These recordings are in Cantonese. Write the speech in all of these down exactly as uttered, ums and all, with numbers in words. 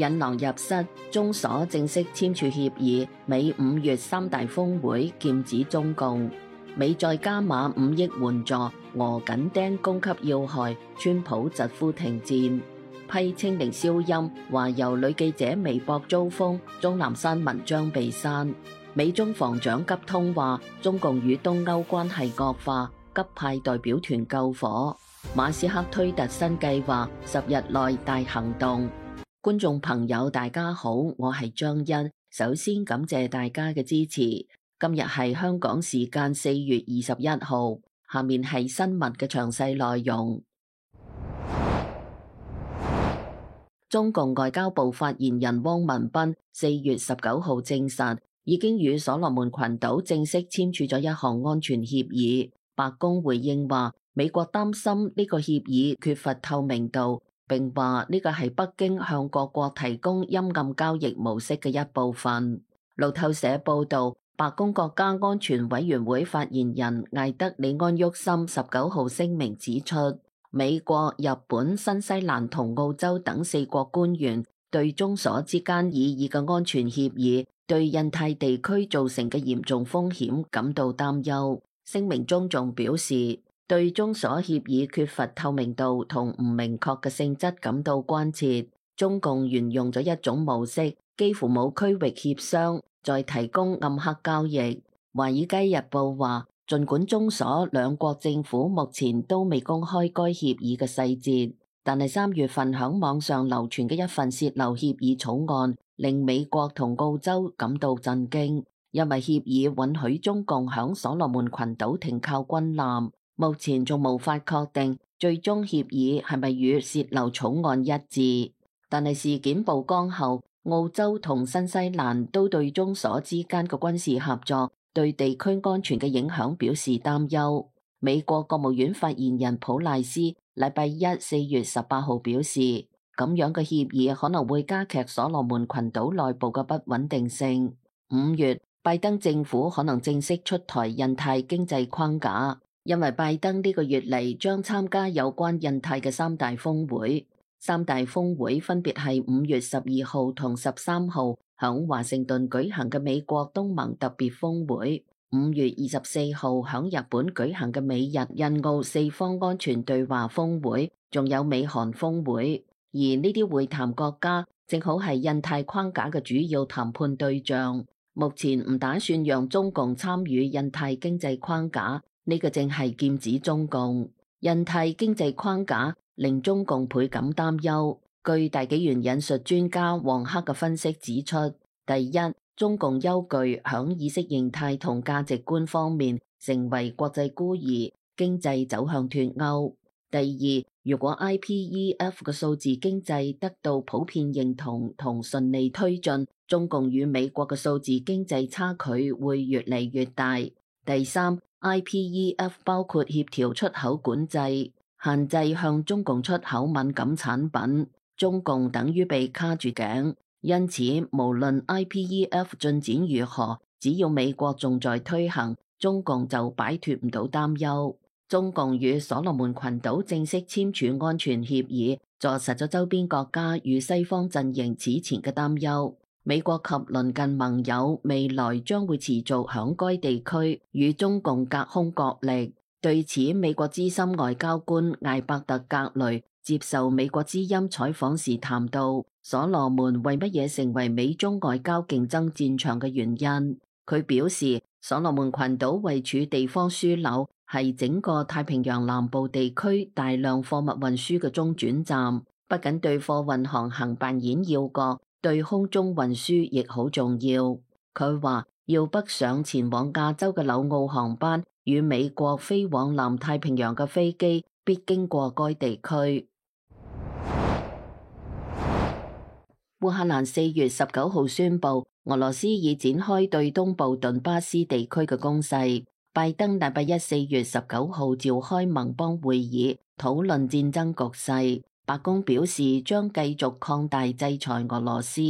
引狼入室，中所正式簽署協議，美五月三大峰會劍指中共。美再加碼五億援助，俄緊盯供給要害，川普疾呼停戰。批清零消音，話由女記者微博遭封，鍾南山文章被刪。美中防長急通話，中共與東歐關係惡化，急派代表團救火。馬斯克推特新計劃，十日內大行動。觀眾朋友大家好，我係張欣，首先感謝大家嘅支持。今日係香港時間四月二十一號，下面係新聞嘅詳細內容。中共外交部發言人汪文斌四月十九號證實，已經與所羅門群島正式簽署咗一項安全協議。白宮回應話，美國擔心呢個協議缺乏透明度，並話呢個係北京向各國提供陰暗交易模式嘅一部分。路透社報道，白宮國家安全委員會發言人艾德里安沃森十九號聲明指出，美國、日本、新西蘭同澳洲等四國官員對中所之間擬議嘅安全協議對印太地區造成嘅嚴重風險感到擔憂。聲明中仲表示，對中所協議缺乏透明度同唔明確嘅性質感到關切。中共沿用咗一種模式，幾乎冇區域協商，再提供暗黑交易。華爾街日報話，儘管中所兩國政府目前都未公開該協議嘅細節，但係三月份響網上流傳嘅一份洩漏協議草案，令美國同澳洲感到震驚，因為協議允許中共響所羅門群島停靠軍艦。目前仲無法確定最終協議係咪與洩漏草案一致，但係事件曝光後，澳洲同新西蘭都對中所之間嘅軍事合作對地區安全嘅影響表示擔憂。美國國務院發言人普賴斯禮拜一四月十八號表示，咁樣嘅協議可能會加劇所羅門群島內部嘅不穩定性。五月，拜登政府可能正式出台印太經濟框架，因為拜登呢個月嚟將參加有關印太嘅三大峰會。三大峰會分別係五月十二號同十三號響華盛頓舉行嘅美國東盟特別峰會，五月二十四號響日本舉行嘅美日印澳四方安全對話峰會，仲有美韓峰會。而呢啲會談國家正好係印太框架嘅主要談判對象。目前唔打算讓中共參與印太經濟框架，呢個正係劍指中共。印太經濟框架令中共倍感擔憂。據大紀元引述專家黃克嘅分析指出，第一，中共憂懼響意識形態同價值觀方面成為國際孤兒，經濟走向脫鈎。第二，如果 I P E F 嘅數字經濟得到普遍認同同順利推進，中共與美國嘅數字經濟差距會越嚟越大。第三，I P E F 包括協調出口管制，限制向中共出口敏感產品，中共等於被卡住頸。因此，無論 I P E F 進展如何，只要美國仲在推行，中共就擺脫唔到擔憂。中共與所羅門群島正式簽署安全協議，坐實咗周邊國家與西方陣營此前嘅擔憂。美國及鄰近盟友未來將會持續響該地區與中共隔空角力。對此，美國資深外交官艾伯特格雷接受美國之音採訪時談到，所羅門為乜嘢成為美中外交競爭戰場嘅原因。佢表示，所羅門群島位處地方樞紐，係整個太平洋南部地區大量貨物運輸嘅中轉站，不僅對貨運航行扮演要角，對空中運輸亦好重要。佢話，要北上前往亞洲嘅紐澳航班與美國飛往南太平洋嘅飛機必經過該地區。烏克蘭四月十九號宣布，俄羅斯已展開對東部頓巴斯地區嘅攻勢。拜登禮拜一四月十九號召開盟邦會議，討論戰爭局勢。白宮表示將繼續擴大制裁俄羅斯，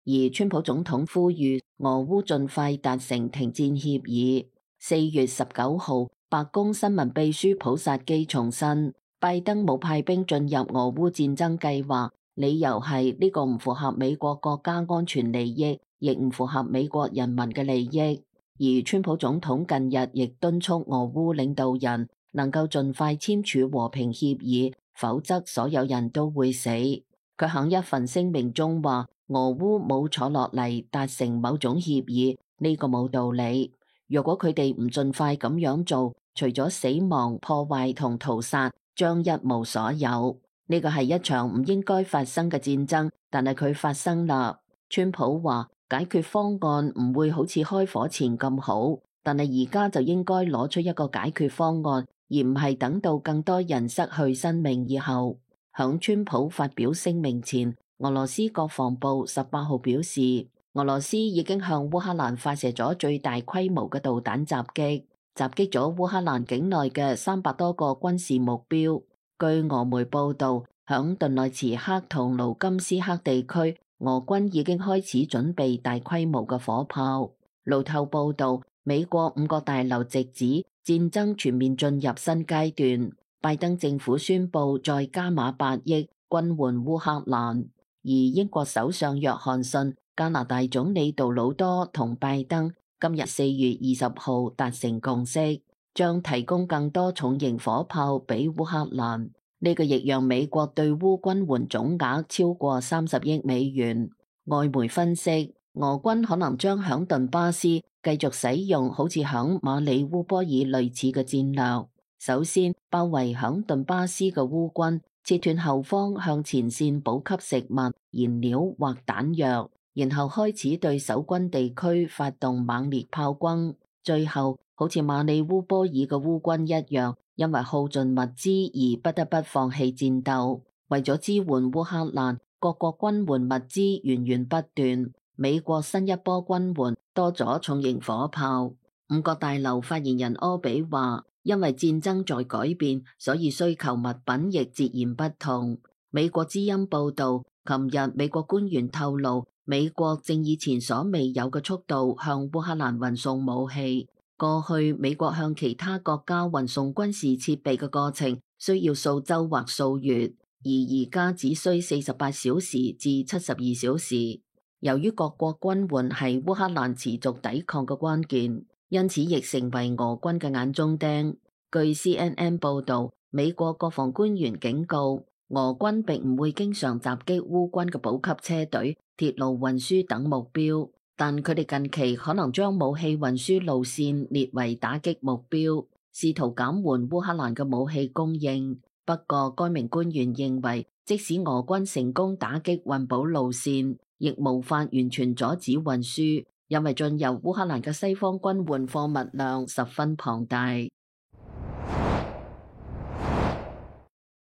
而川普總統呼籲俄烏盡快達成停戰協議。四月十九號，白宮新聞秘書普薩基重申，拜登冇派兵進入俄烏戰爭計劃，理由係呢個唔符合美國國家安全利益，亦唔符合美國人民嘅利益。而川普總統近日亦敦促俄烏領導人能夠盡快簽署和平協議，否則所有人都會死。佢喺一份聲明中話，俄烏冇坐落嚟達成某種協議，呢個冇道理。如果佢哋唔盡快咁樣做，除咗死亡、破壞同屠殺，將一無所有。呢個係一場唔應該發生嘅戰爭，但係佢發生啦。川普話解決方案唔會好似開火前咁好，但係而家就應該攞出一個解決方案，而唔係等到更多人失去生命以後。響川普發表聲明前，俄羅斯國防部十八號表示，俄羅斯已經向烏克蘭發射咗最大規模嘅導彈襲擊，襲擊咗烏克蘭境內嘅三百多個軍事目標。據俄媒報道，響頓內茨克同盧甘斯克地區，俄軍已經開始準備大規模嘅火炮。路透報道，美國五角大樓直指戰爭全面進入新階段，拜登政府宣布再加碼八億軍援烏克蘭，而英國首相約翰遜、加拿大總理杜魯多同拜登今日四月二十號達成共識，將提供更多重型火炮俾烏克蘭。呢個亦讓美國對烏軍援總額超過三十億美元。外媒分析，俄軍可能將響頓巴斯繼續使用好似響馬里烏波爾類似嘅戰略。首先，包圍響頓巴斯嘅烏軍，切斷後方向前線補給食物、燃料或彈藥，然後開始對守軍地區發動猛烈炮轟。最後，好似馬里烏波爾嘅烏軍一樣，因為耗盡物資而不得不放棄戰鬥。為咗支援烏克蘭，各國軍援物資源源不斷。美國新一波軍援多咗重型火炮。五角大樓發言人柯比話，因為戰爭在改變，所以需求物品亦截然不同。美國之音報道，琴日美國官員透露，美國正以前所未有嘅速度向烏克蘭運送武器。過去美國向其他國家運送軍事設備嘅過程需要數週或數月，而而家只需四十八小時至七十二小時。由於各國軍援係烏克蘭持續抵抗嘅關鍵，因此亦成為俄軍嘅眼中釘。據 C N N 報導，美國國防官員警告，俄軍並唔會經常襲擊烏軍嘅補給車隊、鐵路運輸等目標。但佢哋近期可能將武器運輸路線列為打擊目標，試圖減緩烏克蘭嘅武器供應。不過，該名官員認為，即使俄軍成功打擊運補路線，亦無法完全阻止運輸，因為進入烏克蘭嘅西方軍援貨物量十分龐大。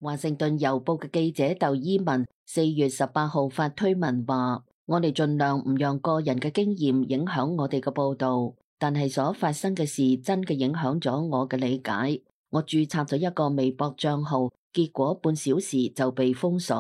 華盛頓郵報嘅記者竇伊文四月十八號發推文話，我哋盡量唔讓個人嘅經驗影響我哋嘅報導，但係所發生嘅事真嘅影響咗我嘅理解。我註冊咗一個微博帳號，結果半小時就被封鎖，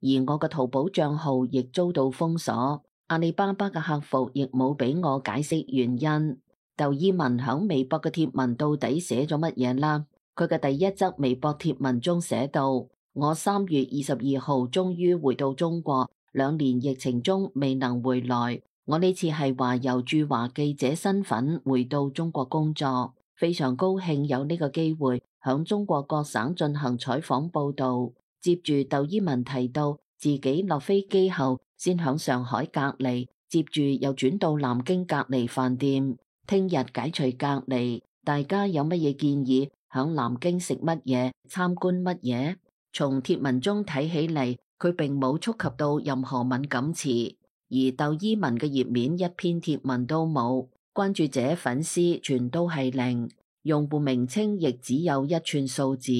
而我嘅淘寶帳號亦遭到封鎖。阿里巴巴嘅客服亦冇俾我解釋原因。竇伊文響微博嘅貼文到底寫咗乜嘢啦？佢嘅第一則微博貼文中寫道：我三月二十二號終於回到中國。兩年疫情中未能回來，我呢次係話由駐華記者身份回到中國工作，非常高興有呢個機會響中國各省進行採訪報道。接住竇伊文提到自己落飛機後先響上海隔離，接住又轉到南京隔離飯店，聽日解除隔離。大家有乜嘢建議？響南京食乜嘢？參觀乜嘢？從貼文中睇起嚟，佢並冇觸及到任何敏感詞，而竇伊文嘅頁面一篇貼文都冇，關注者粉絲全都係零，用戶名稱亦只有一串數字。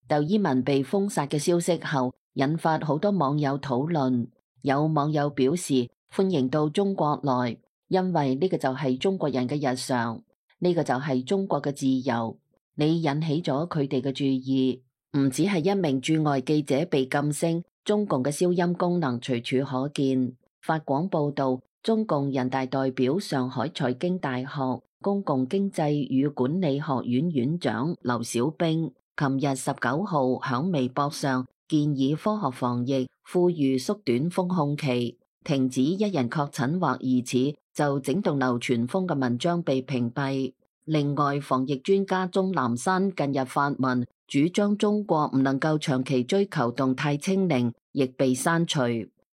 竇伊文被封殺嘅消息後，引發好多網友討論。有網友表示歡迎到中國來，因為呢個就係中國人嘅日常，呢個就係中國嘅自由。你引起咗佢哋嘅注意，唔只係一名駐外記者被禁聲。中共嘅消音功能隨處可見。法廣報道，中共人大代表、上海財經大學公共經濟與管理學院院長劉小兵，琴日十九號響微博上建議科學防疫，呼籲縮短封控期，停止一人確診或疑似就整棟流傳瘋嘅文章被屏蔽。另外，防疫專家鍾南山近日發文，主張中國唔能夠長期追求動態清零，亦被刪除。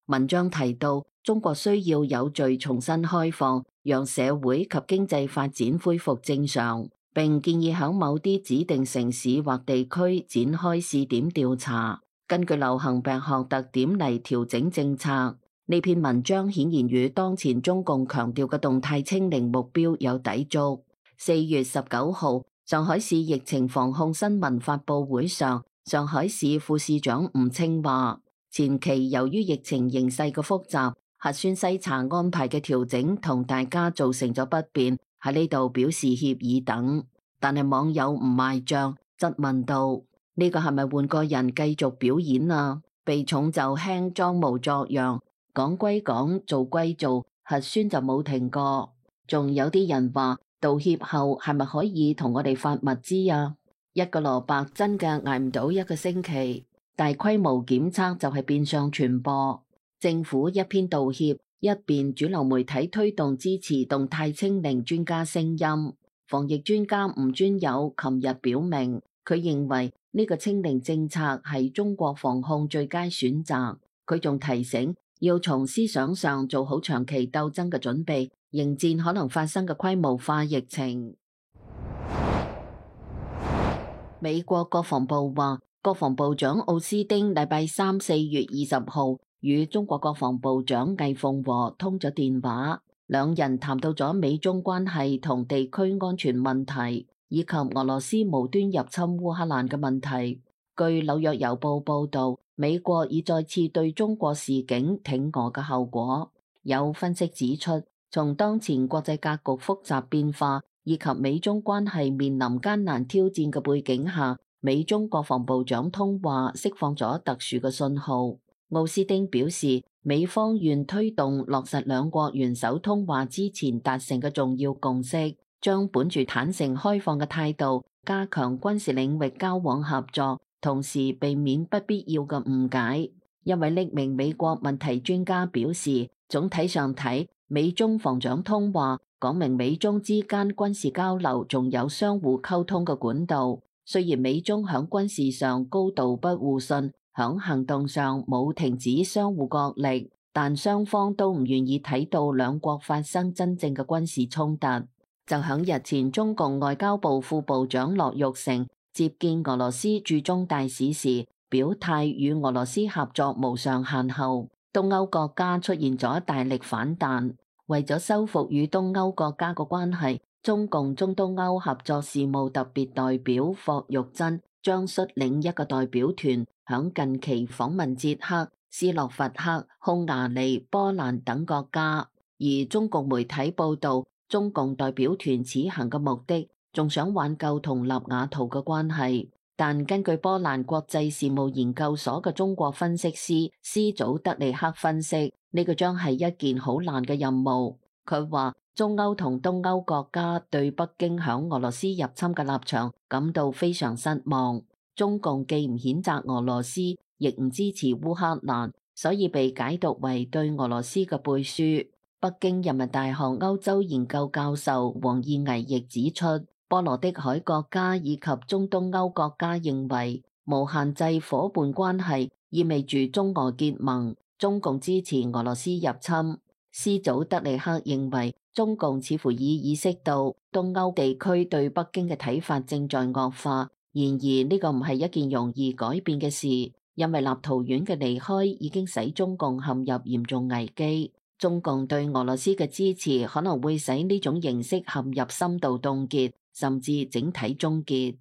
文章提到，中國需要有序重新開放，讓社會及經濟發展恢復正常，並建議響某啲指定城市或地區展開試點調查，根據流行病學特點嚟調整政策。呢篇文章顯然與當前中共強調嘅動態清零目標有抵觸。四月十九號，上海市疫情防控新聞發佈會上，上海市副市長吳清話，前期由於疫情形勢嘅複雜，核酸篩查安排嘅調整同大家造成咗不便，喺呢度表示歉意等。但係網友唔賣賬，質問道：呢個係咪換個人繼續表演啊？避重就輕，裝模作樣，講歸講，做歸做，核酸就冇停過。仲有啲人話，道歉後係咪可以同我哋發物資啊？一個蘿蔔真嘅捱唔到一個星期，大規模檢測就係變相傳播。政府一邊道歉，一邊主流媒體推動支持動態清零專家聲音。防疫專家吳尊友琴日表明，佢認為呢個清零政策係中國防控最佳選擇。佢仲提醒，要從思想上做好長期鬥爭嘅準備，迎戰可能發生嘅規模化疫情。美國國防部話，國防部長奧斯丁禮拜三四月二十號與中國國防部長魏鳳和通咗電話，兩人談到咗美中關係同地區安全問題，以及俄羅斯無端入侵烏克蘭嘅問題。據紐約郵報報道，美國已再次對中國示警挺俄嘅後果。有分析指出，從當前國際格局複雜變化以及美中關係面臨艱難挑戰嘅背景下，美中國防部長通話釋放咗特殊嘅信號。奧斯丁表示，美方願推動落實兩國元首通話之前達成嘅重要共識，將本住坦誠開放嘅態度，加強軍事領域交往合作，同時避免不必要嘅誤解。一位匿名美國問題專家表示，總體上睇，美中防長通話講明美中之間軍事交流仲有相互溝通嘅管道。雖然美中響軍事上高度不互信，響行動上冇停止相互角力，但雙方都唔願意睇到兩國發生真正嘅軍事衝突。就響日前，中共外交部副部長樂玉成接見俄羅斯駐中大使時，表態與俄羅斯合作無上限後，東歐國家出現咗大力反彈。為咗修復與東歐國家嘅關係，中共中東歐合作事務特別代表霍玉珍將率領一個代表團響近期訪問捷克、斯洛伐克、匈牙利、波蘭等國家。而中共媒體報道，中共代表團此行嘅目的仲想挽救同立瓦圖嘅關係。但根據波蘭國際事務研究所嘅中國分析師斯祖德利克分析，呢個將係一件好難嘅任務。佢話中歐同東歐國家對北京響俄羅斯入侵嘅立場感到非常失望。中共既唔譴責俄羅斯，亦唔支持烏克蘭，所以被解讀為對俄羅斯嘅背書。北京人民大學歐洲研究教授王義危亦指出，波羅的海國家以及中東歐國家認為無限制夥伴關係意味住中俄結盟，中共支持俄羅斯入侵。斯祖德利克認為中共似乎已意識到東歐地區對北京嘅睇法正在惡化，然而呢個唔係一件容易改變嘅事，因為立陶宛嘅離開已經使中共陷入嚴重危機。中共對俄羅斯嘅支持可能會使呢種形式陷入深度凍結，甚至整體終結。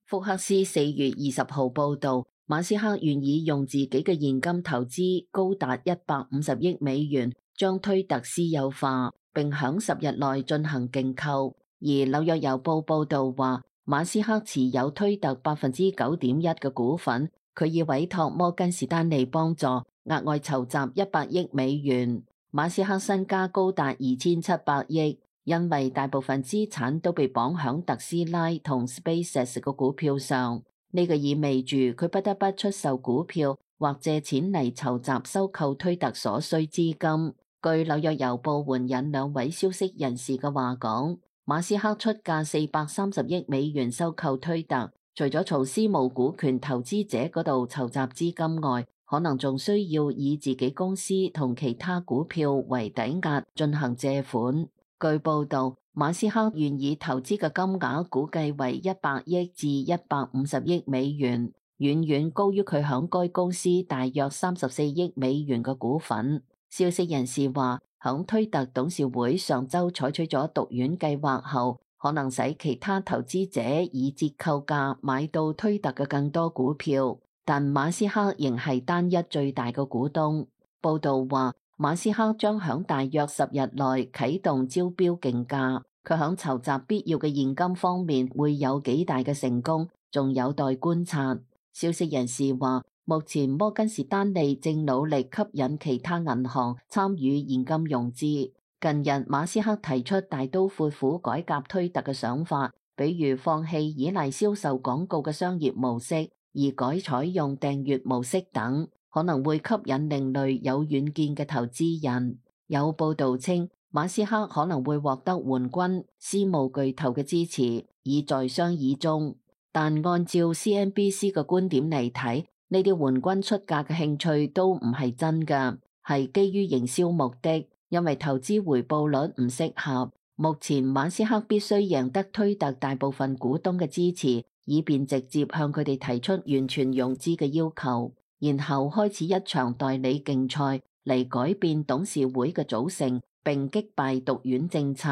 福克斯四月二十號報道，馬斯克願意用自己嘅現金投資高達一百五十億美元，將推特私有化，並響十日內進行競購。而紐約郵報報道話，馬斯克持有推特百分之九點一嘅股份，佢已委託摩根士丹利幫助，額外籌集一百億美元。馬斯克身家高達二千七百億，因為大部分資產都被綁響特斯拉同 SpaceX 個股票上。呢個意味住佢不得不出售股票或借錢嚟籌集收購推特所需資金。據紐約郵報援引兩位消息人士嘅話講，馬斯克出價四百三十億美元收購推特，除咗從私募股權投資者嗰度籌集資金外，可能仲需要以自己公司同其他股票為抵押進行借款。據報道，馬斯克願意投資嘅金額估計為一百億至一百五十億美元，遠遠高於佢響該公司大約三十四億美元嘅股份。消息人士話，響推特董事會上週採取咗毒丸計劃後，可能使其他投資者以折扣價買到推特嘅更多股票，但馬斯克仍係單一最大嘅股東。報道話，馬斯克將響大約十日內啟動招標競價，佢響籌集必要嘅現金方面會有幾大嘅成功，仲有待觀察。消息人士話，目前摩根士丹利正努力吸引其他銀行參與現金融資。近日，馬斯克提出大刀闊斧改革推特嘅想法，比如放棄依賴銷售廣告嘅商業模式，而改採用訂閱模式等，可能會吸引另類有遠見嘅投資人。有報道稱，馬斯克可能會獲得援軍私募巨頭嘅支持，已在商議中。但按照 C N B C 嘅觀點嚟睇，呢啲援軍出價嘅興趣都唔係真㗎，係基於營銷目的，因為投資回報率唔適合。目前馬斯克必須贏得推特大部分股東嘅支持，以便直接向佢哋提出完全融資嘅要求，然後開始一場代理競賽嚟改變董事會嘅組成，並擊敗毒丸政策。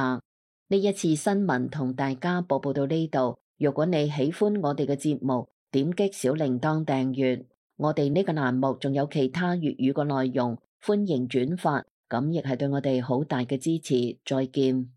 呢一次新聞同大家播報到呢度。如果你喜歡我哋嘅節目，點擊小鈴鐺訂閱。我哋呢個欄目仲有其他粵語嘅內容，歡迎轉發，咁亦係對我哋好大嘅支持。再見。